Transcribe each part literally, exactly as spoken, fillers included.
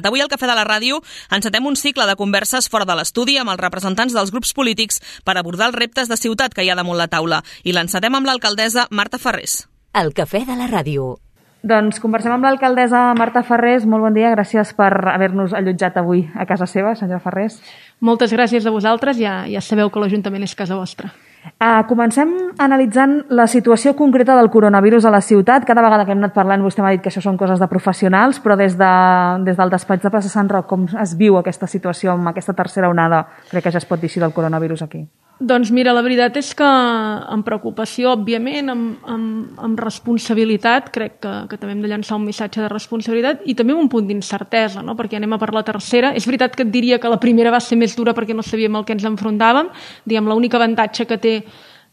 Avui al Cafè de la Ràdio encetem un cicle de converses fora de l'estudi amb els representants dels grups polítics per abordar els reptes de ciutat que hi ha damunt la taula. I l'encetem amb l'alcaldessa Marta Farrés. El Cafè de la Ràdio. Doncs conversem amb l'alcaldessa Marta Farrés. Molt bon dia, gràcies per haver-nos allotjat avui a casa seva, senyora Farrés. Moltes gràcies a vosaltres, ja, ja sabeu que l'Ajuntament és casa vostra. Uh, comencem analitzant la situació concreta del coronavirus a la ciutat. Cada vegada que hem anat parlant vostè m'ha dit que això són coses de professionals, però des, de, des del despatx de Plaça Sant Roc, com es viu aquesta situació amb aquesta tercera onada, crec que ja es pot dir així, del coronavirus aquí? Doncs mira, la veritat és que amb preocupació, òbviament, amb, amb, amb responsabilitat, crec que, que també hem de llançar un missatge de responsabilitat i també un punt d'incertesa, no? Perquè anem a per la tercera. És veritat que et diria que la primera va ser més dura perquè no sabíem el que ens enfrontàvem. Diguem, l'únic avantatge que té,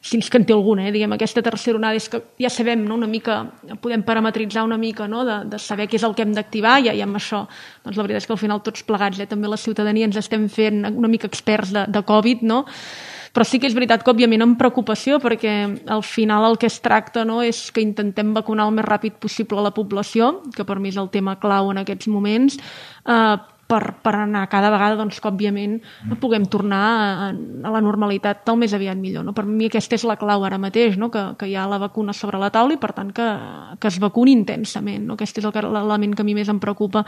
si és que en té alguna, eh? Diguem, aquesta tercera onada és que ja sabem, no? Una mica, podem parametritzar una mica, no? de, de saber què és el que hem d'activar i, i amb això, doncs la veritat és que al final tots plegats, eh? També la ciutadania ens estem fent una mica experts de, de Covid, no? Però sí que és veritat que, òbviament, amb preocupació, perquè al final el que es tracta, no, és que intentem vacunar el més ràpid possible a la població, que per mi és el tema clau en aquests moments, eh, per, per anar cada vegada, doncs, que, òbviament, puguem tornar a, a la normalitat el més aviat millor. No? Per mi aquesta és la clau ara mateix, no? que, que hi ha la vacuna sobre la taula i, per tant, que, que es vacuni intensament. No? Aquest és l'element que a mi més em preocupa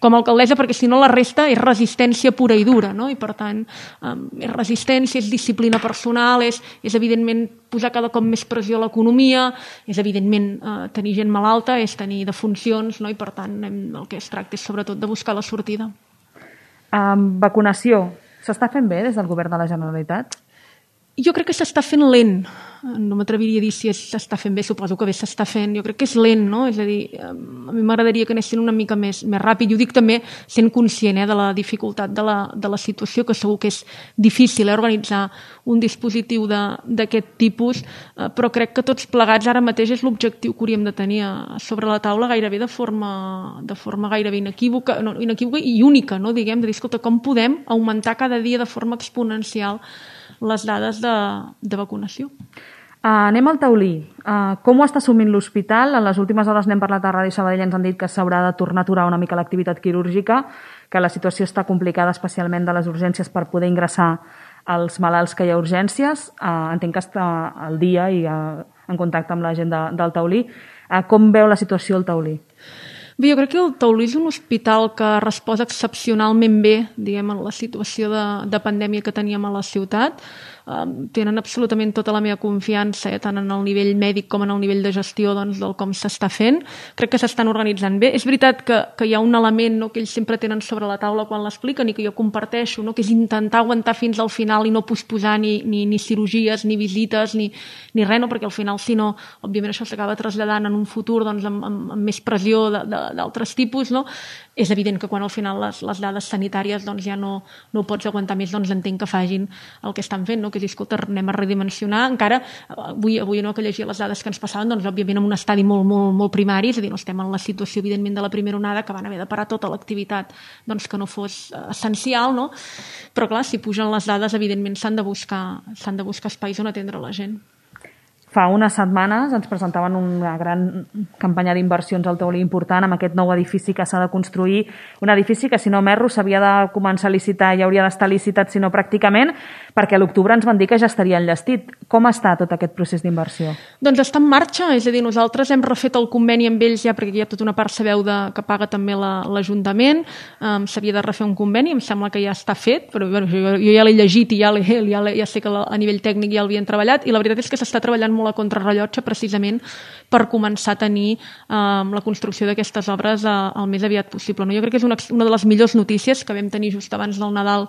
com a alcaldessa, perquè si no la resta és resistència pura i dura, no? I per tant um, és resistència, és disciplina personal, és, és evidentment posar cada cop més pressió a l'economia, és evidentment eh, tenir gent malalta, és tenir defuncions, no? I per tant hem, el que es tracta és sobretot de buscar la sortida. Um, vacunació. S'està fent bé des del govern de la Generalitat? Jo crec que s'està fent lent. No m'atreviria a dir si s'està fent bé, suposo que bé s'està fent. Jo crec que és lent, no? És a dir, a mi m'agradaria que anessin una mica més, més ràpid. I ho dic també sent conscient eh, de la dificultat de la, de la situació, que segur que és difícil eh, organitzar un dispositiu d'aquest tipus, eh, però crec que tots plegats ara mateix és l'objectiu que hauríem de tenir sobre la taula gairebé de forma, de forma gairebé inequívoca, no, inequívoca i única, no? Diguem, de dir, escolta, com podem augmentar cada dia de forma exponencial les dades de, de vacunació. Uh, anem al taulí. Uh, com ho està assumint l'hospital? En les últimes hores n'hem parlat a Ràdio Sabadell, ens han dit que s'haurà de tornar a aturar una mica l'activitat quirúrgica, que la situació està complicada especialment de les urgències per poder ingressar els malalts que hi ha urgències. Uh, entenc que està al dia i uh, en contacte amb la gent de, del taulí. Uh, com veu la situació al taulí? Bé, jo crec que el Taulí és un hospital que resposa excepcionalment bé, diguem, en la situació de, de pandèmia que teníem a la ciutat. Um, tenen absolutament tota la meva confiança, eh, tant en el nivell mèdic com en el nivell de gestió doncs, del com s'està fent. Crec que s'estan organitzant bé. És veritat que, que hi ha un element no, que ells sempre tenen sobre la taula quan l'expliquen i que jo comparteixo, no, que és intentar aguantar fins al final i no posposar ni, ni, ni cirurgies, ni visites, ni, ni res, no, perquè al final, si no, òbviament això s'acaba traslladant en un futur doncs, amb, amb, amb més pressió d'altres tipus, no? És evident que quan al final les, les dades sanitàries doncs, ja no, no ho pots aguantar més, doncs entenc que facin el que estan fent, no? Que és, escolta, anem a redimensionar. Encara, avui, avui no, que llegia les dades que ens passaven, doncs òbviament en un estadi molt, molt, molt primari, és a dir, no estem en la situació evidentment de la primera onada que van haver de parar tota l'activitat doncs, que no fos essencial, no? Però clar, si pugen les dades, evidentment s'han de buscar, s'han de buscar espais on atendre la gent. Fa unes setmanes ens presentaven una gran campanya d'inversions al taulí important amb aquest nou edifici que s'ha de construir, un edifici que si no m'erro s'havia de començar a licitar i hauria d'estar licitat, si no pràcticament, perquè a l'octubre ens van dir que ja estaria enllestit. Com està tot aquest procés d'inversió? Doncs està en marxa, és a dir, nosaltres hem refet el conveni amb ells ja perquè hi ha tota una part, sabeu, de, que paga també l'Ajuntament, um, s'havia de refer un conveni, em sembla que ja està fet, però bueno, jo, jo ja l'he llegit i ja, ja, ja sé que a nivell tècnic ja l'havien treballat i la veritat és que s'està treballant molt a contrarrellotge precisament per començar a tenir eh, la construcció d'aquestes obres eh, el més aviat possible. No? Jo crec que és una, una de les millors notícies que vam tenir just abans del Nadal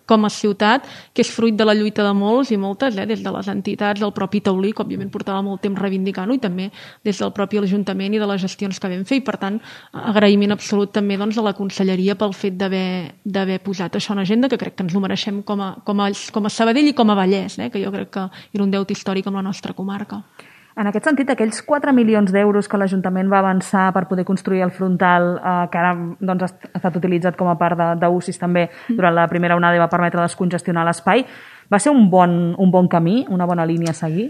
com a ciutat, que és fruit de la lluita de molts i moltes, eh, des de les entitats, del propi taulí, que òbviament portava molt temps reivindicant-ho, i també des del propi Ajuntament i de les gestions que vam fer, i per tant agraïment absolut també doncs, a la Conselleria pel fet d'haver posat això en agenda, que crec que ens ho mereixem com a, com a, com a Sabadell i com a Vallès, eh, que jo crec que era un deute històric amb la nostra comarca. En aquest sentit, aquells quatre milions d'euros que l'Ajuntament va avançar per poder construir el frontal, eh, que ara doncs, ha estat utilitzat com a part d'U C I S també durant la primera onada i va permetre descongestionar l'espai, Va ser un bon, un bon camí, una bona línia a seguir?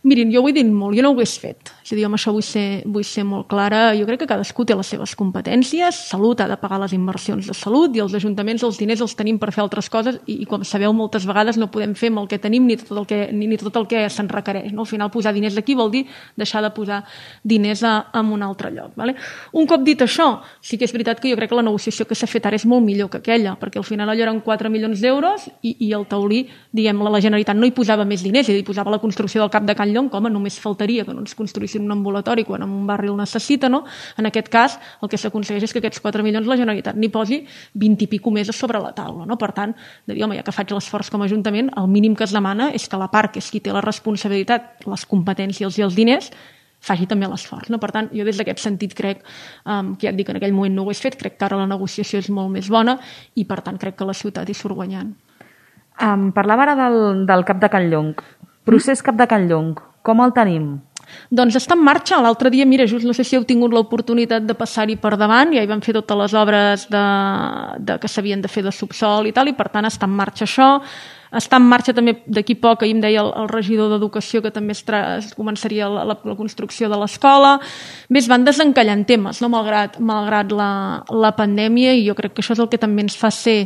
Mirin, jo ho he dit molt, jo no ho hagués fet. És a dir, amb això vull ser, vull ser molt clara. Jo crec que cadascú té les seves competències, Salut ha de pagar les inversions de salut i els ajuntaments els diners els tenim per fer altres coses i, i com sabeu, moltes vegades no podem fer amb el que tenim ni tot el que, ni, ni tot el que se'n requereix. No? Al final, posar diners aquí vol dir deixar de posar diners a, a un altre lloc. Vale? Un cop dit això, sí que és veritat que jo crec que la negociació que s'ha fet ara és molt millor que aquella, perquè al final allò eren quatre milions d'euros i, i el taulí, diguem, la Generalitat no hi posava més diners, és a dir, posava la construcció del Cap de Can Llong, com només faltaria que no ens construïssin un ambulatori quan en un barri el necessita, no? En aquest cas, el que s'aconsegueix és que aquests quatre milions la Generalitat n'hi posi vint i pico més a sobre la taula, no? Per tant, de dir, home, ja que faig l'esforç com a Ajuntament, el mínim que es demana és que la part que és qui té la responsabilitat, les competències i els diners, faci també l'esforç. No? Per tant, jo des d'aquest sentit crec, um, que ja et dic, en aquell moment no ho he fet, crec que ara la negociació és molt més bona i per tant crec que la ciutat hi surt guanyant. Um, parlava ara del, del Cap de Can Llong. Procés Cap de Can Llong, com el tenim? Doncs està en marxa. L'altre dia, mira, just no sé si heu tingut l'oportunitat de passar-hi per davant, ja hi van fer totes les obres de, de, que s'havien de fer de subsol i tal, i per tant està en marxa això. Està en marxa també d'aquí poc, ahir em deia el, el regidor d'Educació que també es, tra es començaria la, la, la construcció de l'escola. Bé, es van desencallant temes, no? malgrat, malgrat la, la pandèmia, i jo crec que això és el que també ens fa ser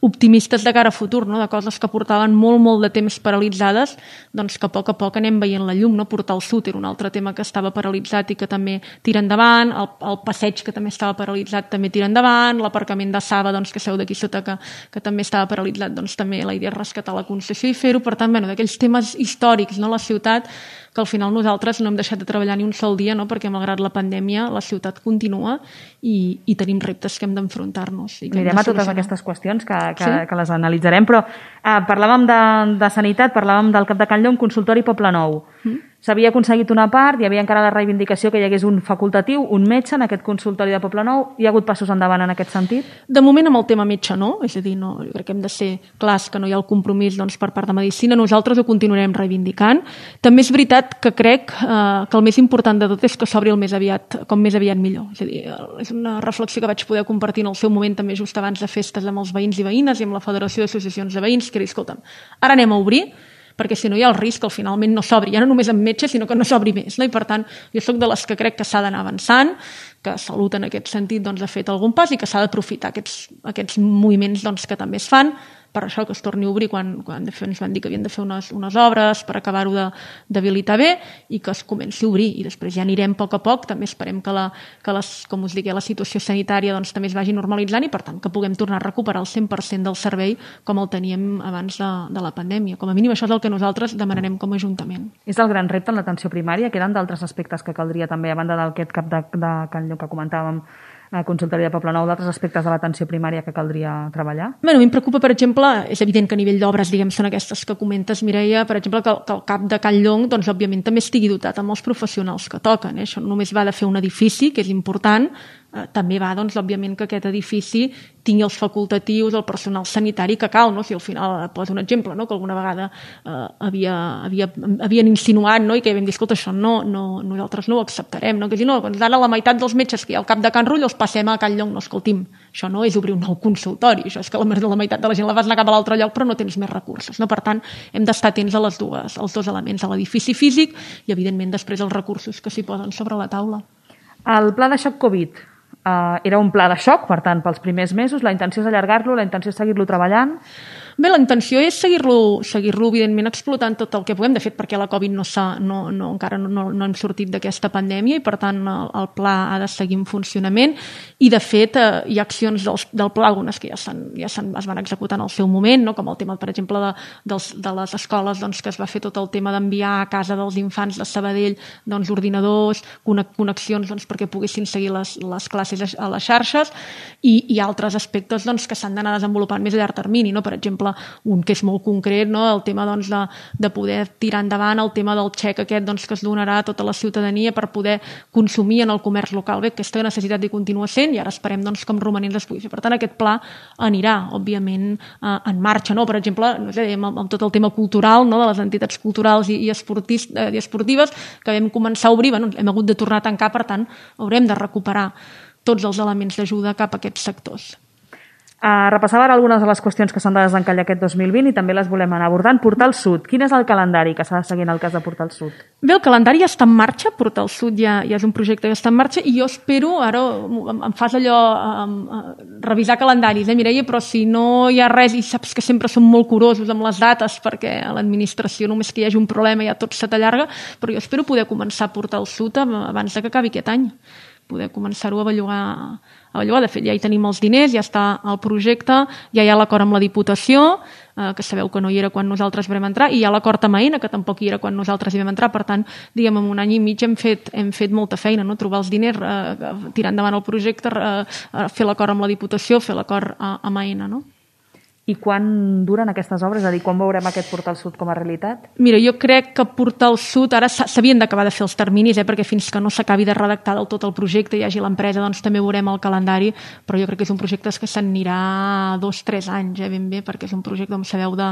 optimistes de cara a futur, no? De coses que portaven molt, molt de temps paralitzades, doncs que a poc a poc anem veient la llum. No? Portar el sud era un altre tema que estava paralitzat i que també tira endavant, el, el passeig que també estava paralitzat també tira endavant, l'aparcament de Saba, doncs, que seu d'aquí sota, que, que també estava paralitzat, doncs també la idea és rescatar la concessió i fer-ho. Per tant, bueno, d'aquells temes històrics, no? La ciutat, que al final nosaltres no hem deixat de treballar ni un sol dia, no? Perquè malgrat la pandèmia la ciutat continua i, i tenim reptes que hem d'enfrontar-nos. Anirem a totes aquestes qüestions que, que, sí? que les analitzarem, però eh, parlàvem de, de sanitat, parlàvem del Cap de Can Llong, consultori Poblenou. Mm. S'havia aconseguit una part, hi havia encara la reivindicació que hi hagués un facultatiu, un metge en aquest consultori de Poblenou. Hi ha hagut passos endavant en aquest sentit? De moment amb el tema metge no, és a dir, no, jo crec que hem de ser clars que no hi ha el compromís, doncs, per part de Medicina. Nosaltres ho continuarem reivindicant. També és veritat que crec eh, que el més important de tot és que s'obri el més aviat, com més aviat millor. És a dir, és una reflexió que vaig poder compartir en el seu moment també just abans de festes amb els veïns i veïnes i amb la Federació d'Associacions de Veïns, que era, escolta'm, ara anem a obrir, perquè si no hi ha el risc que finalment no s'obri, ja no només amb metges, sinó que no s'obri més. No? I per tant, jo soc de les que crec que s'ha d'anar avançant, que Salut en aquest sentit doncs, ha fet algun pas i que s'ha d'aprofitar aquests, aquests moviments doncs, que també es fan, per això que es torni a obrir quan, quan de fet, ens van dir que havien de fer unes, unes obres per acabar-ho d'habilitar bé i que es comenci a obrir. I després ja anirem a poc a poc, també esperem que, la, que les, com us dic, la situació sanitària doncs, també es vagi normalitzant i per tant que puguem tornar a recuperar el cent per cent del servei com el teníem abans de, de la pandèmia. Com a mínim això és el que nosaltres demanarem com a Ajuntament. És el gran repte en l'atenció primària. Queden d'altres aspectes que caldria també, a banda d'aquest Cap de, de Can Llong que comentàvem, a consultori de Poblenou, d'altres aspectes de l'atenció primària que caldria treballar? Bé, a mi em preocupa, per exemple, és evident que a nivell d'obres, diguem, són aquestes que comentes, Mireia, per exemple, que, que el Cap de Can Llong, doncs, òbviament, també estigui dotat amb els professionals que toquen. Eh? Això només va de fer un edifici, que és important, eh, també va, doncs, òbviament, que aquest edifici tingui els facultatius, el personal sanitari que cal, no? Si al final, poso un exemple, no? Que alguna vegada eh, havia, havia, havien insinuat, no? I que vam dir, escolta, això no, no, nosaltres no ho acceptarem, no? Que si no, doncs ara la meitat dels metges que hi ha al Cap de Can Rull els passem a Can Llong. No, escolti'm, això no és obrir un nou consultori, això és que la, la meitat de la gent la vas anar cap a l'altre lloc però no tens més recursos, no? Per tant, hem d'estar atents a les dues, als dos elements, a l'edifici físic i, evidentment, després els recursos que s'hi posen sobre la taula. El pla de xoc Covid Uh, era un pla de xoc, per tant, pels primers mesos. La intenció és allargar-lo, la intenció és seguir-lo treballant? Bé, la intenció és seguir-lo, seguir-lo evidentment, explotant tot el que puguem. De fet, perquè la Covid no s'ha, no, no, encara no, no, no hem sortit d'aquesta pandèmia i, per tant, el, el pla ha de seguir en funcionament. I, de fet, eh, hi ha accions del, del pla, algunes que ja, ja es van executar en el seu moment, no? Com el tema, per exemple, de, dels, de les escoles, doncs, que es va fer tot el tema d'enviar a casa dels infants de Sabadell doncs, ordinadors, connexions doncs, perquè poguessin seguir les, les classes a les xarxes i, i altres aspectes doncs, que s'han d'anar desenvolupant més a llarg termini, no? Per exemple, un que és molt concret, no? El tema doncs, de, de poder tirar endavant el tema del xec aquest doncs, que es donarà a tota la ciutadania per poder consumir en el comerç local. Bé, aquesta necessitat hi continua sent i ara esperem doncs, com romanents es pugui fer. Per tant, aquest pla anirà, òbviament, eh, en marxa. No? Per exemple, no sé, amb, amb tot el tema cultural, no? De les entitats culturals i, i, esportis, eh, i esportives que vam començar a obrir, bueno, hem hagut de tornar a tancar, per tant, haurem de recuperar tots els elements d'ajuda cap a aquests sectors. Uh, repassava ara algunes de les qüestions que s'han de desencallar aquest dos mil vint i també les volem anar abordant. Portal Sud, quin és el calendari que s'ha de seguir en el cas de Portal Sud? Bé, el calendari ja està en marxa, Portal Sud ja, ja és un projecte que està en marxa i jo espero, ara em fas allò, um, uh, revisar calendaris, eh, Mireia, però si no hi ha res, i saps que sempre som molt curosos amb les dates perquè a l'administració només que hi hagi un problema ja tot se t'allarga, però jo espero poder començar Portal Sud abans de que acabi aquest any, poder començar-ho a bellugar. A bellugar. De fet, ja hi tenim els diners, ja està el projecte, ja hi ha l'acord amb la Diputació, eh, que sabeu que no hi era quan nosaltres vam entrar, i hi ha l'acord amb AENA, que tampoc hi era quan nosaltres hi vam entrar. Per tant, diguem, en un any i mig hem fet, hem fet molta feina, no? Trobar els diners, eh, tirar endavant el projecte, eh, fer l'acord amb la Diputació, fer l'acord eh, amb AENA, no? I quan duren aquestes obres? És a dir, quan veurem aquest Portal Sud com a realitat? Mira, jo crec que Portal Sud ara s'havien d'acabar de fer els terminis, eh, perquè fins que no s'acabi de redactar del tot el projecte i hi hagi l'empresa, doncs també veurem el calendari, però jo crec que és un projecte que s'anirà dos o tres anys, eh, ben bé, perquè és un projecte, com sabeu, de,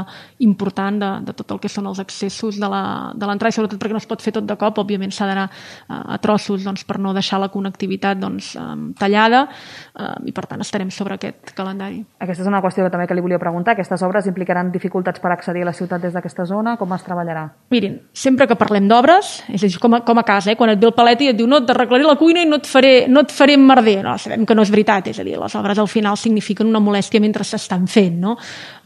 important de, de tot el que són els accessos de l'entrada, i sobretot perquè no es pot fer tot de cop, òbviament s'ha d'anar a, a trossos, doncs, per no deixar la connectivitat doncs, tallada, eh, i per tant estarem sobre aquest calendari. Aquesta és una qüestió que també que li volia preguntar. Aquestes obres implicaran dificultats per accedir a la ciutat des d'aquesta zona? Com es treballarà? Mirin, sempre que parlem d'obres, és a dir, com a, com a casa, eh? Quan et ve el paleta i et diu no, t'arreglaré la cuina i no et faré, no et faré merder. No, sabem que no és veritat, és a dir, les obres al final signifiquen una molèstia mentre s'estan fent, no?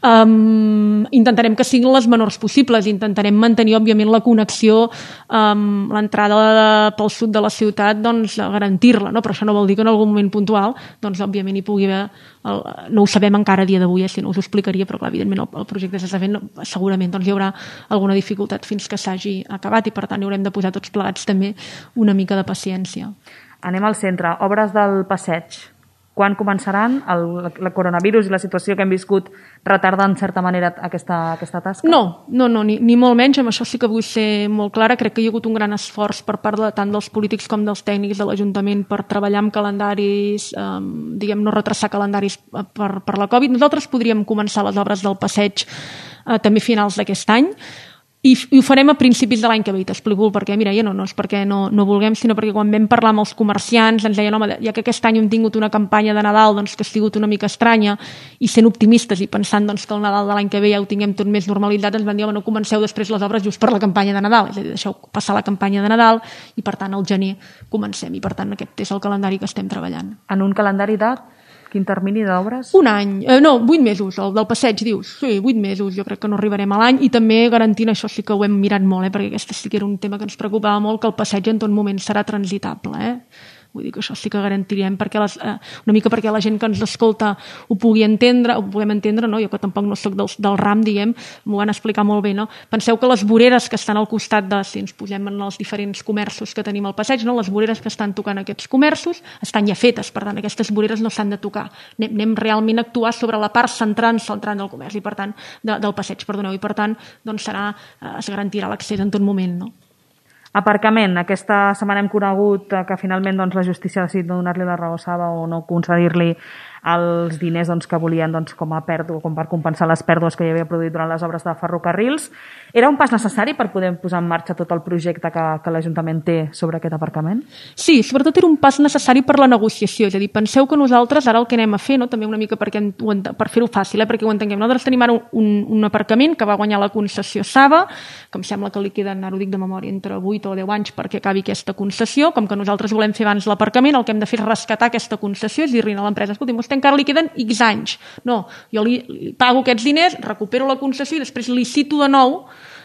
Um, intentarem que siguin les menors possibles, intentarem mantenir, òbviament, la connexió, um, l'entrada pel sud de la ciutat, doncs, garantir-la, no? Però això no vol dir que en algun moment puntual, doncs, òbviament, hi pugui haver, el, no ho sabem encara a dia d'avui, eh? Si no us ho explicaria, però clar, evidentment el, el projecte s'està fent, segurament doncs, hi haurà alguna dificultat fins que s'hagi acabat i per tant hi haurem de posar tots plegats també una mica de paciència. Anem al centre, obres del passeig. Quan començaran? El, el coronavirus i la situació que hem viscut retarda en certa manera aquesta, aquesta tasca? No, no, no ni, ni molt menys, amb això sí que vull ser molt clara. Crec que hi ha hagut un gran esforç per part de, tant dels polítics com dels tècnics de l'Ajuntament per treballar amb calendaris, eh, diguem, no retrasar calendaris per, per la Covid. Nosaltres podríem començar les obres del passeig eh, també a finals d'aquest any, i, i ho farem a principis de l'any que ve, t'explico perquè, mira, ja no, no és perquè no, no vulguem, sinó perquè quan vam parlar amb els comerciants ens deien, home, ja que aquest any hem tingut una campanya de Nadal doncs, que ha sigut una mica estranya i sent optimistes i pensant doncs, que el Nadal de l'any que ve ja ho tinguem tot més normalitzat, ens van dir, home, no comenceu després les obres just per la campanya de Nadal, és a dir, deixeu passar la campanya de Nadal i per tant al gener comencem i per tant aquest és el calendari que estem treballant. En un calendari de... Quin termini d'obres? Un any, eh, no, vuit mesos, el del passeig, dius. Sí, vuit mesos, jo crec que no arribarem a l'any i també garantint, això sí que ho hem mirat molt, eh, perquè aquest sí que era un tema que ens preocupava molt, que el passeig en tot moment serà transitable, eh? Vull dir que això sí que garantirem perquè les, eh, una mica perquè la gent que ens escolta ho pugui entendre, ho puguem entendre, no? Jo que tampoc no soc del, del ram, diguem, m'ho van explicar molt bé, no? Penseu que les voreres que estan al costat de, si ens posem en els diferents comerços que tenim al passeig, no? Les voreres que estan tocant aquests comerços estan ja fetes, per tant, aquestes voreres no s'han de tocar. Anem, anem realment a actuar sobre la part central, central del comerç i per tant, de, del passeig, perdoneu, i per tant, doncs serà, eh, es garantirà l'accés en tot moment, no? Aparcament. Aquesta setmana hem conegut que finalment doncs, la justícia ha decidit no donar-li la raó a Saba o no concedir-li els diners doncs, que volien doncs, com a pèrdua, com per compensar les pèrdues que hi havia produït durant les obres de ferrocarrils. Era un pas necessari per poder posar en marxa tot el projecte que, que l'Ajuntament té sobre aquest aparcament? Sí, sobretot era un pas necessari per la negociació. És a dir, penseu que nosaltres ara el que anem a fer, no? També una mica perquè, per fer-ho fàcil, eh? Perquè ho entenguem. Nosaltres tenim ara un, un aparcament que va guanyar la concessió Saba, que em sembla que li queden, ara ho dic de memòria, entre vuit o deu anys perquè acabi aquesta concessió. Com que nosaltres volem fer abans l'aparcament, el que hem de fer és rescatar aquesta concessió, és dir-li a l'empresa, escolti, vostè encara li queden X anys. No, jo li, li pago aquests diners, recupero la concessió i després li cito de nou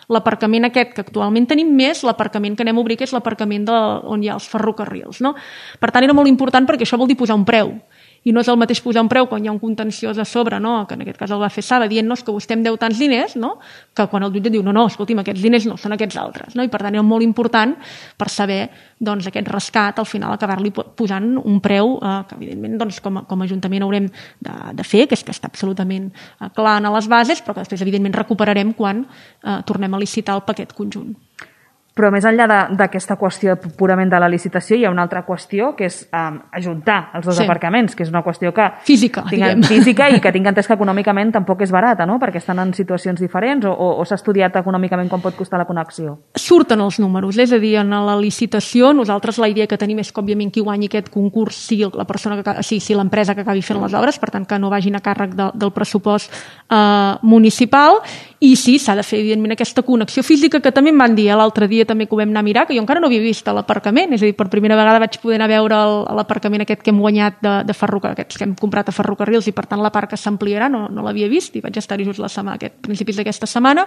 l'aparcament aquest que actualment tenim més l'aparcament que anem a obrir, que és l'aparcament de, on hi ha els ferrocarrils. No? Per tant, era molt important perquè això vol dir posar un preu. I no és el mateix posar un preu quan hi ha un contenciós a sobre, no? Que en aquest cas el va fer Saba, dient-nos que vostè em deu tants diners, no? Que quan el jutge diu, no, no, escolti'm, aquests diners no, són aquests altres. No? I per tant era molt important per saber doncs, aquest rescat, al final acabar-li posant un preu eh, que evidentment doncs, com, a, com a Ajuntament haurem de, de fer, que és que està absolutament clar a les bases, però que després evidentment recuperarem quan eh, tornem a licitar el paquet conjunt. Però més enllà d'aquesta qüestió purament de la licitació, hi ha una altra qüestió, que és um, ajuntar els dos sí. aparcaments, que és una qüestió que... Física, tinguen, diguem. Física i que tinc entès que econòmicament tampoc és barata, no? Perquè estan en situacions diferents, o, o, o s'ha estudiat econòmicament com pot costar la connexió? Surten els números, és a dir, en la licitació nosaltres la idea que tenim és que, òbviament, qui guanyi aquest concurs sigui la persona que, sigui, sigui l'empresa que acabi fent les obres, per tant, que no vagin a càrrec de, del pressupost eh, municipal, i sí, s'ha de fer, evidentment, aquesta connexió física, que també em van dir l'altre dia, també que ho vam anar a mirar, que jo encara no havia vist a l'aparcament, és a dir, per primera vegada vaig poder anar a veure l'aparcament aquest que hem guanyat de, de ferrocarrils, aquests que hem comprat a ferrocarrils, i per tant la part que s'ampliarà no, no l'havia vist, i vaig estar-hi just la setmana, aquest, principis d'aquesta setmana,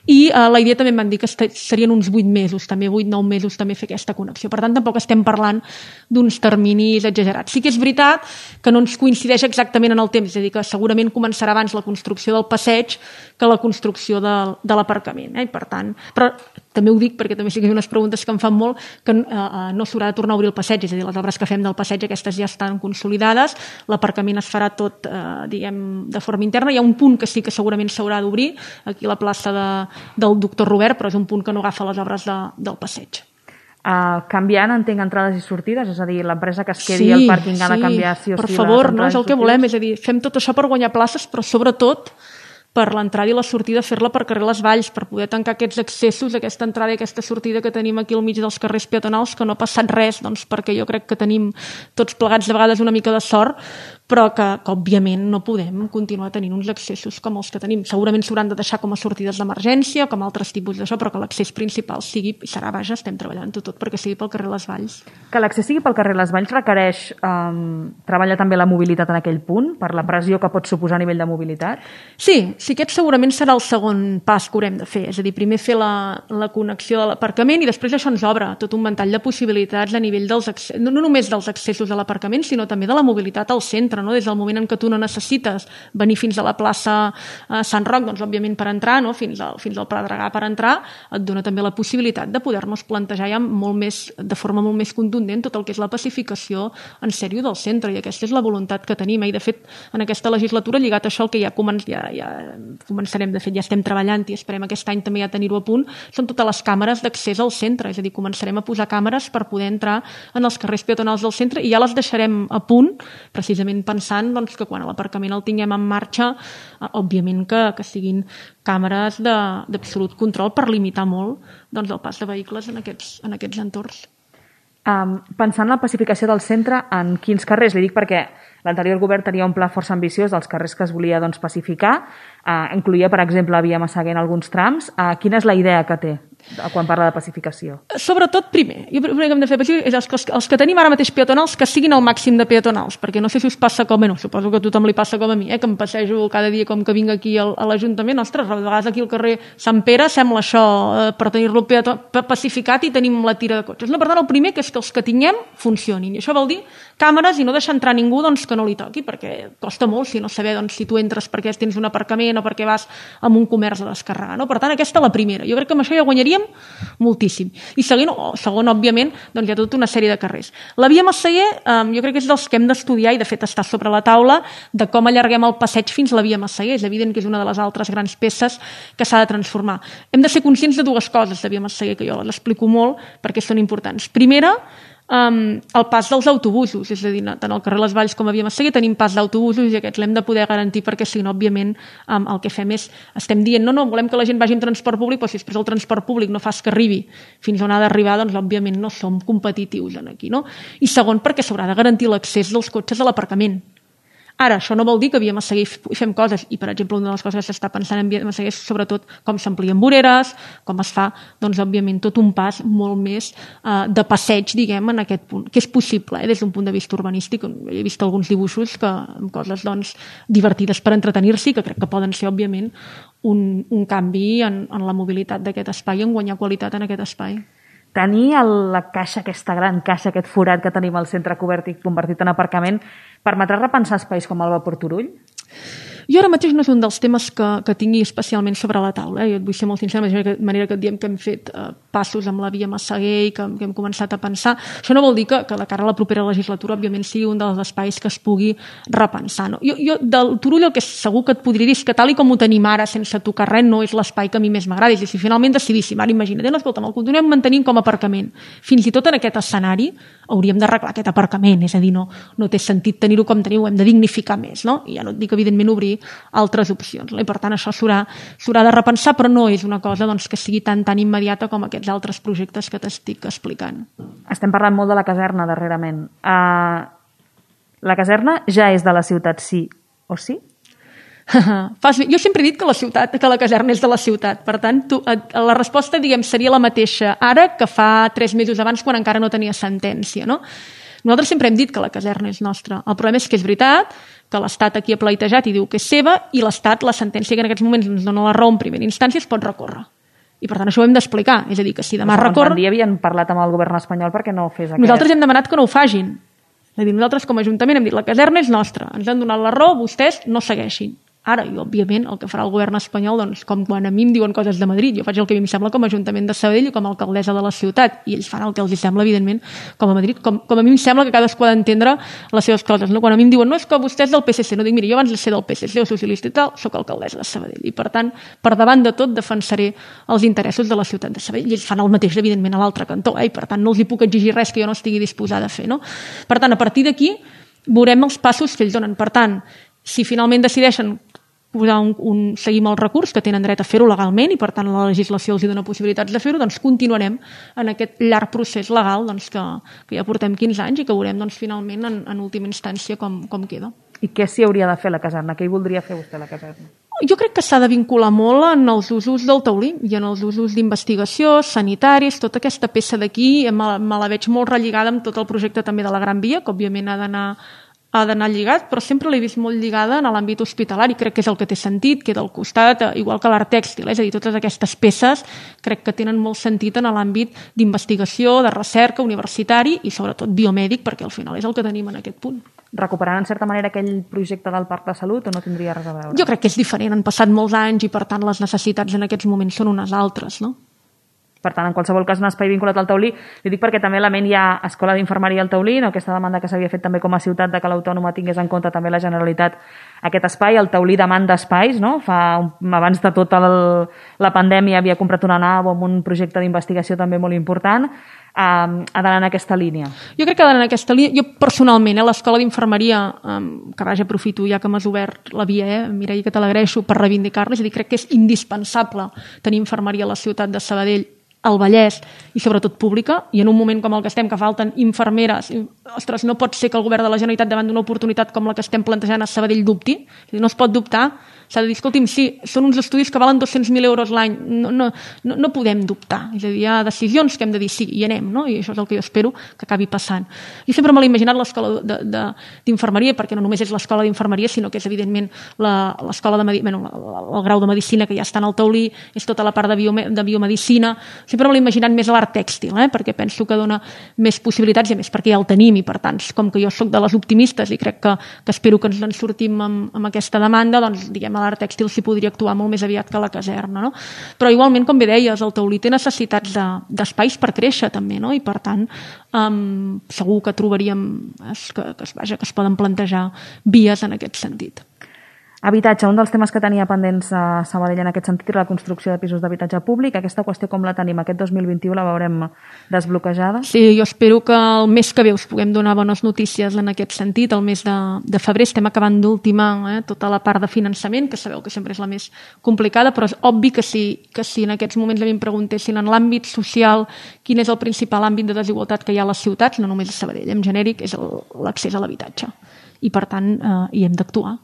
i eh, la idea també em van dir que serien uns vuit mesos, també vuit nou mesos també fer aquesta connexió. Per tant, tampoc estem parlant d'uns terminis exagerats. Sí que és veritat que no ens coincideix exactament en el temps, és a dir, que segurament començarà abans la construcció del passeig que la construcció de, de l'aparcament. Eh? I per tant, però també ho dic perquè també sí que hi ha unes preguntes que em fan molt, que eh, no s'haurà de tornar a obrir el passeig, és a dir, les obres que fem del passeig aquestes ja estan consolidades, l'aparcament es farà tot, eh, diguem, de forma interna. Hi ha un punt que sí que segurament s'haurà d'obrir, aquí a la plaça de, del doctor Robert, però és un punt que no agafa les obres de, del passeig. Uh, canviant, entenc, entrades i sortides, és a dir, l'empresa que es quedi sí, al pàrquing ha de canviar sí o per sí. Per favor, no és el que volem, és a dir, fem tot això per guanyar places, però sobretot per l'entrada i la sortida fer-la per carrer Les Valls, per poder tancar aquests accessos, aquesta entrada i aquesta sortida que tenim aquí al mig dels carrers peatonals, que no ha passat res, doncs perquè jo crec que tenim tots plegats de vegades una mica de sort, però que, que òbviament no podem continuar tenint uns accessos com els que tenim. Segurament s'hauran de deixar com a sortides d'emergència o com altres tipus d'això, però que l'accés principal sigui, i serà, vaja, estem treballant tot, tot perquè sigui pel carrer Les Valls. Que l'accés sigui pel carrer Les Valls requereix um, treballar també la mobilitat en aquell punt, per la pressió que pot suposar a nivell de mobilitat? Sí, sí, aquest segurament serà el segon pas que haurem de fer, és a dir, primer fer la, la connexió de l'aparcament i després això ens obre tot un ventall de possibilitats a nivell dels accessos, no, no només dels accessos a l'aparcament, sinó també de la mobilitat al centre, no? Des del moment en què tu no necessites venir fins a la plaça eh, Sant Roc, doncs òbviament per entrar, no? fins, al, fins al Pla Dragà per entrar, et dona també la possibilitat de poder-nos plantejar ja molt més, de forma molt més contundent tot el que és la pacificació en sèrio del centre, i aquesta és la voluntat que tenim, i de fet en aquesta legislatura, lligat a això, el que ja, comen ja, ja començarem, de fet ja estem treballant i esperem aquest any també ja tenir-ho a punt, són totes les càmeres d'accés al centre, és a dir, començarem a posar càmeres per poder entrar en els carrers peatonals del centre i ja les deixarem a punt, precisament pensant doncs, que quan l'aparcament el tinguem en marxa, eh, òbviament que, que siguin càmeres d'absolut control per limitar molt doncs, el pas de vehicles en aquests, en aquests entorns. Um, pensant en la pacificació del centre, en quins carrers? Li dic perquè l'anterior govern tenia un pla força ambiciós dels carrers que es volia doncs, pacificar, uh, incluïa, per exemple, la via Massaguer en alguns trams. Uh, quina és la idea que té quan parla de pacificació? Sobretot, primer, jo primer que hem de fer és els que, els que tenim ara mateix peatonals que siguin el màxim de peatonals, perquè no sé si us passa com a no, suposo que a tothom li passa com a mi, eh, que em passejo cada dia com que vinc aquí al, a l'Ajuntament, ostres, a vegades aquí al carrer Sant Pere sembla això eh, per tenir-lo pacificat i tenim la tira de cotxes. No, per tant, el primer que és que els que tinguem funcionin, i això vol dir càmeres i no deixar entrar ningú doncs, que no li toqui, perquè costa molt si no saber doncs, si tu entres perquè tens un aparcament o perquè vas a un comerç a descarregar. No? Per tant, aquesta és la primera. Jo crec que amb això ja guanyaríem moltíssim. I segon, oh, segon òbviament, doncs hi ha tota una sèrie de carrers. La via Massaguer, eh, jo crec que és dels que hem d'estudiar i de fet està sobre la taula de com allarguem el passeig fins a la via Massaguer. És evident que és una de les altres grans peces que s'ha de transformar. Hem de ser conscients de dues coses de via Massaguer, que jo les explico molt perquè són importants. Primera, Um, el pas dels autobusos, és a dir, tant al carrer Les Valls com a via Massaguer tenim pas d'autobusos i aquests l'hem de poder garantir perquè si no, òbviament, um, el que fem és, estem dient, no, no, volem que la gent vagi en transport públic, però si després el transport públic no fas que arribi fins on ha d'arribar, doncs òbviament no som competitius en aquí, no? I segon, perquè s'haurà de garantir l'accés dels cotxes a l'aparcament. Ara, això no vol dir que a via Massaguer hi fem coses, i per exemple una de les coses que s'està pensant en via Massaguer és sobretot com s'amplien voreres, com es fa, doncs òbviament tot un pas molt més eh, de passeig, diguem, en aquest punt, que és possible, eh, des d'un punt de vista urbanístic. He vist alguns dibuixos que, amb coses doncs, divertides per entretenir-s'hi, que crec que poden ser, òbviament, un, un canvi en, en la mobilitat d'aquest espai, en guanyar qualitat en aquest espai. Tenir el, la caixa, aquesta gran caixa, aquest forat que tenim al centre cobert i convertit en aparcament, permetrà repensar espais com el Vapor Turull? Jo ara mateix no és un dels temes que, que tingui especialment sobre la taula. Eh? Jo et vull ser molt sincera, de manera que et diem que hem fet eh, passos amb la via Massaguer i que, que hem començat a pensar. Això no vol dir que, que de cara a la propera legislatura, òbviament, sigui un dels espais que es pugui repensar. No? Jo, jo del Turull el que segur que et podria dir és que tal i com ho tenim ara, sense tocar res, no és l'espai que a mi més m'agrada. I si finalment decidíssim, ara imagina't, no, escolta, el continuem mantenint com a aparcament. Fins i tot en aquest escenari hauríem d'arreglar aquest aparcament, és a dir, no, no té sentit tenir-ho com teniu, hem de dignificar més, no? I ja no et dic, evidentment, obrir altres opcions. No? I per tant, això s'haurà de repensar, però no és una cosa doncs, que sigui tan tan immediata com aquests altres projectes que t'estic explicant. Estem parlant molt de la caserna darrerament. Uh, la caserna ja és de la ciutat, sí o sí? Jo sempre he dit que la ciutat, que la caserna és de la ciutat. Per tant, tu, la resposta, diguem, seria la mateixa ara que fa tres mesos abans, quan encara no tenia sentència, no? Nosaltres sempre hem dit que la caserna és nostra. El problema és que és veritat que l'Estat aquí ha pleitejat i diu que és seva, i l'Estat, la sentència que en aquests moments ens dona la raó en primera instància, es pot recórrer. I per tant això ho hem d'explicar. És a dir, que si demà recorre... Un dia havien parlat amb el govern espanyol perquè no ho fes aquest... Nosaltres hem demanat que no ho fagin. És a dir, nosaltres com a Ajuntament hem dit la caserna és nostra, ens han donat la raó, vostès no segueixin. Ara, i òbviament, el que farà el govern espanyol, doncs, com quan a mi em diuen coses de Madrid, jo faig el que a mi em sembla com a Ajuntament de Sabadell i com a alcaldessa de la ciutat, i ells fan el que els sembla, evidentment, com a Madrid, com, com a mi em sembla que cadascú ha d'entendre les seves coses. No? Quan a mi em diuen, no, és que vostè és del P S C, no dic, mira, jo abans de ser del P S C o socialista i tal, soc alcaldessa de Sabadell, i per tant, per davant de tot, defensaré els interessos de la ciutat de Sabadell, i ells fan el mateix, evidentment, a l'altre cantó, eh? I per tant, no els hi puc exigir res que jo no estigui disposada a fer. No? Per tant, a partir d'aquí, veurem els passos que ells donen. Per tant, si finalment decideixen posar un, un, seguir amb el recurs, que tenen dret a fer-ho legalment i per tant la legislació els hi dona possibilitats de fer-ho, doncs continuarem en aquest llarg procés legal doncs, que, que ja portem quinze anys i que veurem doncs, finalment en, en última instància com, com queda. I què s'hi hauria de fer la caserna? Què hi voldria fer vostè a la caserna? Jo crec que s'ha de vincular molt en els usos del taulí i en els usos d'investigació, sanitaris, tota aquesta peça d'aquí me, me la veig molt relligada amb tot el projecte també de la Gran Via, que òbviament ha d'anar ha d'anar lligat, però sempre l'he vist molt lligada en l'àmbit hospitalari, crec que és el que té sentit, queda al costat, igual que l'art tèxtil, és a dir, totes aquestes peces crec que tenen molt sentit en l'àmbit d'investigació, de recerca, universitari i sobretot biomèdic, perquè al final és el que tenim en aquest punt. Recuperaran en certa manera aquell projecte del Parc de Salut o no tindria res a veure? Jo crec que és diferent, han passat molts anys i per tant les necessitats en aquests moments són unes altres, no? Per tant, en qualsevol cas, un espai vinculat al taulí. Li dic perquè també a la ment hi ha Escola d'Infermeria al Taulí, no? Aquesta demanda que s'havia fet també com a ciutat de que l'Autònoma tingués en compte també la Generalitat aquest espai. El Taulí demanda espais, no? Fa, abans de tota el, la pandèmia havia comprat una nau amb un projecte d'investigació també molt important. Um, ha d'anar en aquesta línia. Jo crec que ha d'anar en aquesta línia. Jo personalment, eh, l'Escola d'Infermeria, um, que vaja, aprofito ja que m'has obert la via, eh, Mireia, que te l'agraeixo per reivindicar-la, és a dir, crec que és indispensable tenir infermeria a la ciutat de Sabadell, al Vallès i sobretot pública, i en un moment com el que estem, que falten infermeres, ostres, no pot ser que el govern de la Generalitat davant d'una oportunitat com la que estem plantejant a Sabadell dubti, no es pot dubtar, s'ha de dir, escolti'm, sí, són uns estudis que valen dos-cents mil euros l'any, no, no, no, no podem dubtar, és a dir, hi ha decisions que hem de dir sí, i anem, no? I això és el que jo espero que acabi passant. Jo sempre me l'he imaginat l'escola d'infermeria, perquè no només és l'escola d'infermeria, sinó que és evidentment l'escola de Medicina, bueno, el grau de Medicina que ja està en el taulí, és tota la part de, biome, de biomedicina, sempre me l'he imaginat més a l'art tèxtil, eh? Perquè penso que dona més possibilitats i més perquè ja el tenim i per tant, com que jo sóc de les optimistes i crec que, que espero que ens en sortim amb, amb aquesta demanda, doncs diguem l'art tèxtil s'hi podria actuar molt més aviat que la caserna, no? Però igualment, com bé deies, el taulí té necessitats d'espais de, per créixer també, no? I per tant um, segur que trobaríem es, que, que, es, vaja, que es poden plantejar vies en aquest sentit. Habitatge, un dels temes que tenia pendents a Sabadell en aquest sentit era la construcció de pisos d'habitatge públic. Aquesta qüestió com la tenim? Aquest dos mil vint-i-u la veurem desbloquejada? Sí, jo espero que el mes que ve us puguem donar bones notícies en aquest sentit. El mes de, de febrer estem acabant d'ultimar eh, tota la part de finançament, que sabeu que sempre és la més complicada, però és obvi que si, que si en aquests moments a mi em preguntessin en l'àmbit social quin és el principal àmbit de desigualtat que hi ha a les ciutats, no només a Sabadell, en genèric, és l'accés a l'habitatge. I per tant, eh, hi hem d'actuar.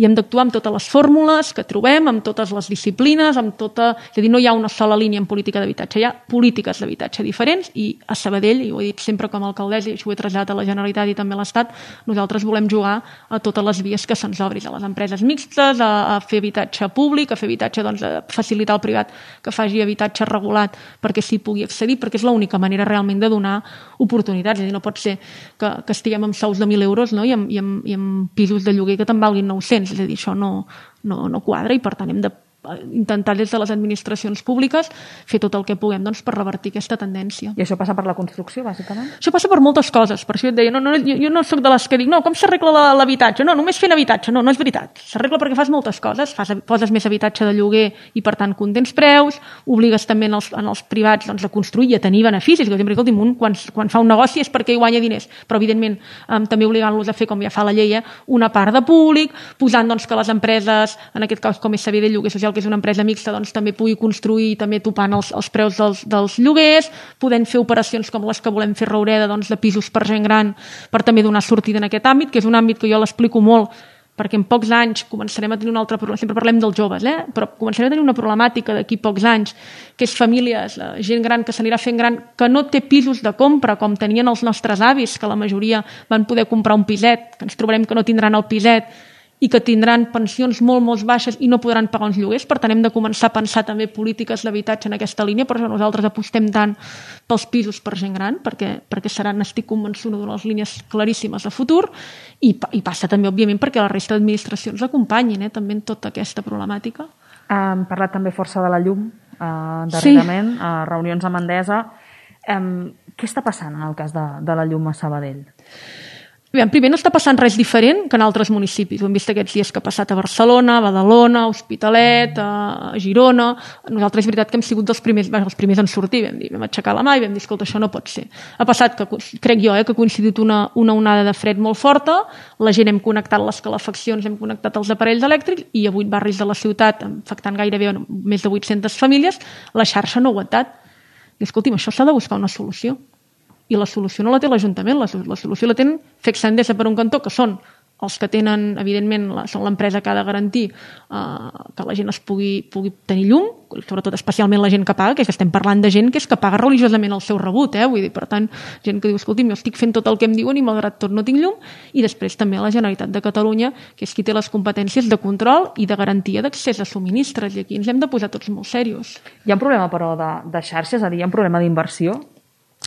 I hem d'actuar amb totes les fórmules que trobem, amb totes les disciplines, amb tota... És a dir, no hi ha una sola línia en política d'habitatge, hi ha polítiques d'habitatge diferents i a Sabadell, i ho he dit sempre com a alcaldessa i això ho he traslladat a la Generalitat i també a l'Estat, nosaltres volem jugar a totes les vies que se'ns obrin, a les empreses mixtes, a, a fer habitatge públic, a fer habitatge, doncs, a facilitar al privat que faci habitatge regulat perquè s'hi pugui accedir, perquè és l'única manera realment de donar oportunitats. És a dir, no pot ser que, que estiguem amb sous de mil euros, no? I, amb, i, amb, i amb pisos de lloguer que te'n valguin nou-cents. ajuntaments. És a dir, això no, no, no quadra i per tant hem de intentar des de les administracions públiques fer tot el que puguem doncs, per revertir aquesta tendència. I això passa per la construcció, bàsicament? Això passa per moltes coses. Per això et deia, no, no, jo, jo no soc de les que dic, no, com s'arregla l'habitatge? No, només fent habitatge. No, no és veritat. S'arregla perquè fas moltes coses. Fas, poses més habitatge de lloguer i, per tant, contents preus, obligues també en els, en els privats doncs, a construir i a tenir beneficis. Jo sempre dic, un, quan, quan fa un negoci és perquè hi guanya diners, però, evidentment, um, també obligant-los a fer, com ja fa la llei, eh, una part de públic, posant doncs, que les empreses, en aquest cas com és Sabadell Lloguer Social, que és una empresa mixta, doncs, també pugui construir i també topant els, els preus dels, dels lloguers, podent fer operacions com les que volem fer a Roureda, doncs, de pisos per gent gran, per també donar sortida en aquest àmbit, que és un àmbit que jo l'explico molt, perquè en pocs anys començarem a tenir una altra problema, sempre parlem dels joves, eh? Però començarem a tenir una problemàtica d'aquí pocs anys, que és famílies, gent gran que s'anirà fent gran, que no té pisos de compra, com tenien els nostres avis, que la majoria van poder comprar un piset, que ens trobarem que no tindran el piset, i que tindran pensions molt, molt baixes i no podran pagar uns lloguers. Per tant, hem de començar a pensar també polítiques d'habitatge en aquesta línia, per això nosaltres apostem tant pels pisos per gent gran, perquè, perquè seran, estic convençuda, una de les línies claríssimes de futur, i, i passa també, òbviament, perquè la resta d'administracions acompanyin eh, també en tota aquesta problemàtica. Hem parlat també força de la llum, eh, darrerament, sí. a reunions amb Endesa. Eh, què està passant en el cas de, de la llum a Sabadell? Bé, primer, no està passant res diferent que en altres municipis. Ho hem vist aquests dies que ha passat a Barcelona, a Badalona, a Hospitalet, a Girona. Nosaltres és veritat que hem sigut dels primers, bé, els primers en sortir, vam dir, vam aixecar la mà i vam dir, escolta, això no pot ser. Ha passat, que crec jo, eh, que ha coincidit una, una onada de fred molt forta, la gent hem connectat les calefaccions, hem connectat els aparells elèctrics i a vuit barris de la ciutat, afectant gairebé més de vuit-centes famílies, la xarxa no ha aguantat. I escolti'm, això s'ha de buscar una solució. I la solució no la té l'Ajuntament, la, la solució la tenen Fecsa Endesa per un cantó, que són els que tenen, evidentment, la, són l'empresa que ha de garantir eh, que la gent es pugui, pugui tenir llum, sobretot especialment la gent que paga, que, és que estem parlant de gent que és que paga religiosament el seu rebut, eh? Vull dir, per tant, gent que diu, escolti'm, jo estic fent tot el que em diuen i malgrat tot no tinc llum, i després també la Generalitat de Catalunya, que és qui té les competències de control i de garantia d'accés a subministres, i aquí ens hem de posar tots molt serios. Hi ha un problema, però, de, de xarxes, és a dir, hi ha un problema d'inversió?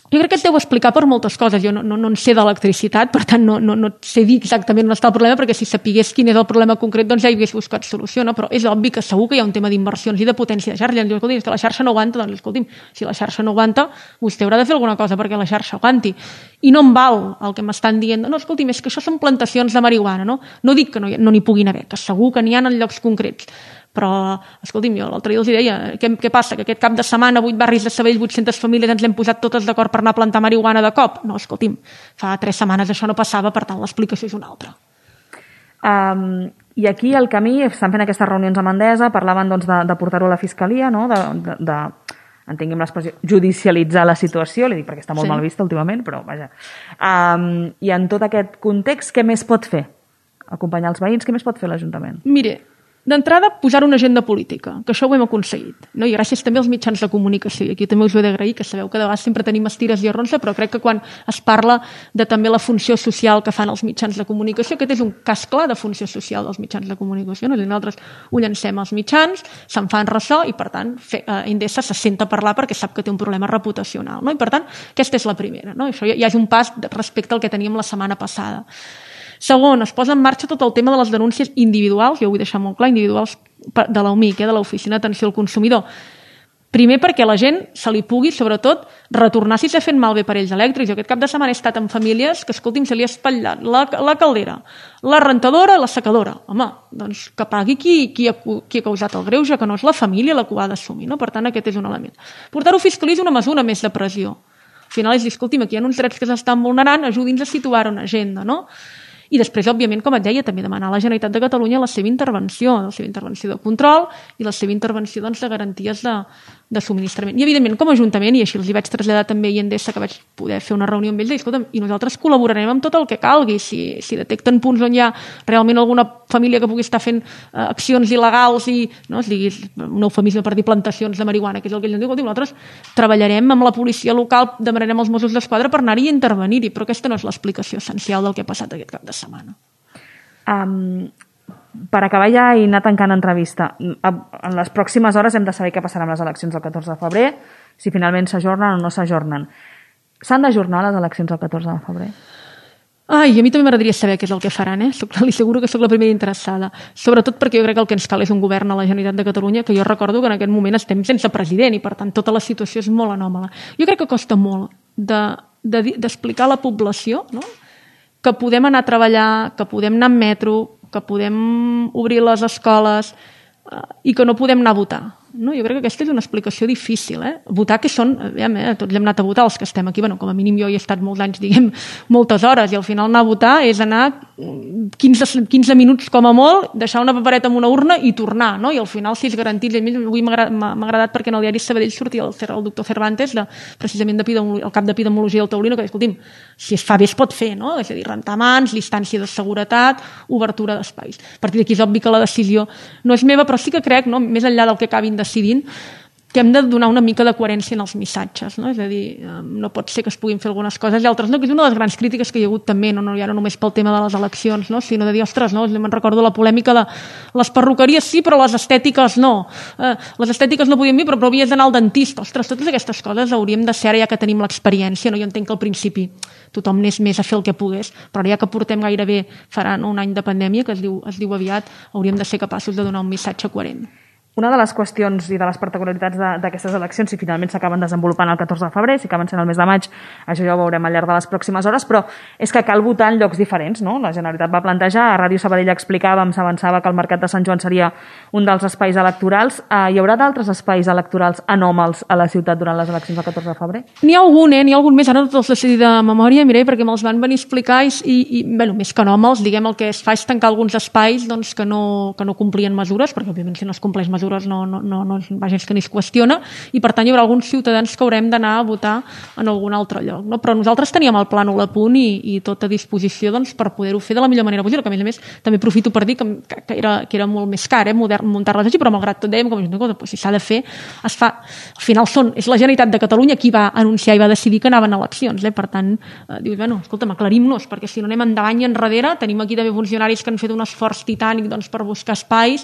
Jo crec que es deu explicar per moltes coses. Jo no, no, no en sé d'electricitat, per tant no, no, no sé dir exactament on està el problema, perquè si sapigués quin és el problema concret doncs ja hi hagués buscat solució, no? Però és obvi que segur que hi ha un tema d'inversions i de potència de xarxa. Diu, escolti, és que la xarxa no aguanta, doncs escolti'm, si la xarxa no aguanta, vostè haurà de fer alguna cosa perquè la xarxa aguanti. I no em val el que m'estan dient, no, escolti'm, és que això són plantacions de marihuana, no? No dic que no, no n'hi puguin haver, que segur que n'hi ha en llocs concrets. Però, escolti'm, jo l'altre dia els deia, què, què passa? Que aquest cap de setmana, vuit barris de Sabadell, vuit-centes famílies, ens hem posat totes d'acord per anar a plantar marihuana de cop? No, escolti'm, fa tres setmanes això no passava, per tant, l'explicació és una altra. Um, I aquí, al camí, estan fent aquestes reunions amb Endesa, parlaven doncs, de, de portar-ho a la Fiscalia, no? de, de, de entenguem l'expressió, judicialitzar la situació, li dic perquè està molt sí. mal vista últimament, però vaja. Um, I en tot aquest context, què més pot fer? Acompanyar els veïns, què més pot fer l'Ajuntament? Mire, d'entrada, posar una agenda política, que això ho hem aconseguit. No? I gràcies també als mitjans de comunicació. I aquí també us ho he d'agrair, que sabeu que de vegades sempre tenim estires i arronsa, però crec que quan es parla de també la funció social que fan els mitjans de comunicació, aquest és un cas clar de funció social dels mitjans de comunicació. No? Nosaltres ho llancem als mitjans, se'n fan ressò i, per tant, fe, eh, Endesa se senta a parlar perquè sap que té un problema reputacional. No? I, per tant, aquesta és la primera. No? Això ja, ja és un pas respecte al que teníem la setmana passada. Segon, es posa en marxa tot el tema de les denúncies individuals, jo ho vull deixar molt clar, individuals de l'O M I C, eh, de l'Oficina d'Atenció al Consumidor. Primer perquè la gent se li pugui, sobretot, retornar si s'ha fet malbé aparells elèctrics. Jo aquest cap de setmana he estat en famílies que, escolti'm, se li ha espatllat la, la caldera, la rentadora i la secadora. Home, doncs que pagui qui, qui, ha, qui ha causat el greuge, que no és la família la que ho ha d'assumir. No? Per tant, aquest és un element. Portar-ho a fiscalia és una mesura més de pressió. Al final és dir, escolti'm, aquí hi ha uns drets que s'estan vulnerant, ajudi'ns a situar una agenda, no? I després, òbviament, com et deia, també demanar a la Generalitat de Catalunya la seva intervenció, la seva intervenció de control i la seva intervenció doncs, de garanties de, de subministrament. I, evidentment, com a Ajuntament, i així els hi vaig traslladar també a Endesa, que vaig poder fer una reunió amb ells, i, escolta'm, i nosaltres col·laborarem amb tot el que calgui. Si, si detecten punts on hi ha realment alguna família que pugui estar fent eh, accions il·legals i, no, es digui, un eufemisme per dir plantacions de marihuana, que és el que ells ens diuen, nosaltres treballarem amb la policia local, demanarem als Mossos d'Esquadra per anar-hi i intervenir-hi, però aquesta no és l'explicació essencial del que ha passat aquest cap de setmana. Um, per acabar ja i anar tancant entrevista, en les pròximes hores hem de saber què passarà amb les eleccions del catorze de febrer, si finalment s'ajornen o no s'ajornen. S'han d'ajornar les eleccions del catorze de febrer? Ai, a mi també m'agradaria saber què és el que faran, eh? Soc, li asseguro que sóc la primera interessada. Sobretot perquè jo crec que el que ens cal és un govern a la Generalitat de Catalunya, que jo recordo que en aquest moment estem sense president i, per tant, tota la situació és molt anòmala. Jo crec que costa molt d'explicar de, de, a la població, no?, que podem anar a treballar, que podem anar en metro, que podem obrir les escoles eh, i que no podem anar a votar. No? Jo crec que aquesta és una explicació difícil. Eh? Votar, que són, aviam, eh, tots hem anat a votar, els que estem aquí, bueno, com a mínim jo hi he estat molts anys, diguem, moltes hores, i al final anar a votar és anar quinze, quinze minuts com a molt, deixar una papereta en una urna i tornar, no? I al final, si és garantit, avui m'ha agradat perquè en el diari Sabadell sortia el, el doctor Cervantes, de, precisament de el cap d'epidemiologia del Taulino, que deia, escolti'm, si es fa bé es pot fer, no? És a dir, rentar mans, distància de seguretat, obertura d'espais. A partir d'aquí és obvi que la decisió no és meva, però sí que crec, no?, més enllà del que acabin decidint, que hem de donar una mica de coherència en els missatges, no? És a dir, no pot ser que es puguin fer algunes coses i altres no, que és una de les grans crítiques que hi ha hagut també, no, no ja no només pel tema de les eleccions, no? Sinó de dir, ostres, no? Me'n recordo la polèmica de les perruqueries sí, però les estètiques no. Eh, les estètiques no podien dir, però, però havies d'anar al dentista. Ostres, totes aquestes coses hauríem de ser ara ja que tenim l'experiència, no? Jo entenc que al principi tothom anés més a fer el que pogués, però ja que portem gairebé, faran un any de pandèmia, que es diu, es diu aviat, hauríem de ser capaços de donar un missatge coherent. Una de les qüestions i de les particularitats d'aquestes eleccions, si finalment s'acaben desenvolupant el catorze de febrer, si acaben sent el mes de maig, això ja ho veurem al llarg de les pròximes hores, però és que cal votar en llocs diferents, no? La Generalitat va plantejar, a Ràdio Sabadell explicàvem, s'avançava que el Mercat de Sant Joan seria un dels espais electorals. Eh, hi haurà d'altres espais electorals anòmals a la ciutat durant les eleccions del catorze de febrer? N'hi ha algun, eh? N'hi ha algun més, ara no tots els decidir de memòria, mireu, perquè me'ls van venir a explicar i, i bueno, més que anòmals, diguem, el que es fa és tancar alguns espais doncs, que, no, que no complien mesures, perquè òbviament si no es compleix mesures no, no, no no, vaja, és que ni es qüestiona, i per tant hi haurà alguns ciutadans que haurem d'anar a votar en algun altre lloc. No? Però nosaltres teníem el plànol a punt i, i tot a disposició doncs, per poder-ho fer de la millor manera possible, que a més a més també aprofito per dir que, que, era, que era molt més car eh, muntar-les així, però malgrat tot dèiem que doncs, si s'ha de fer, es fa. Al final són, és la Generalitat de Catalunya qui va anunciar i va decidir que anaven a eleccions. Eh? Per tant, eh, dius, bueno, escolta'm, aclarim-nos, perquè si no anem endavant i enrere, tenim aquí també funcionaris que han fet un esforç titànic doncs, per buscar espais.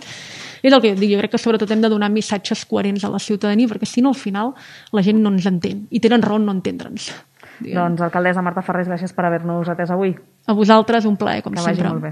És el que dic, jo crec que sobretot hem de donar missatges coherents a la ciutadania, perquè si no, al final, la gent no ens entén. I tenen raó en no entendre'ns. Doncs, alcaldessa Marta Ferrés, gràcies per haver-nos atès avui. A vosaltres, un plaer, com sempre. Que vagi molt bé.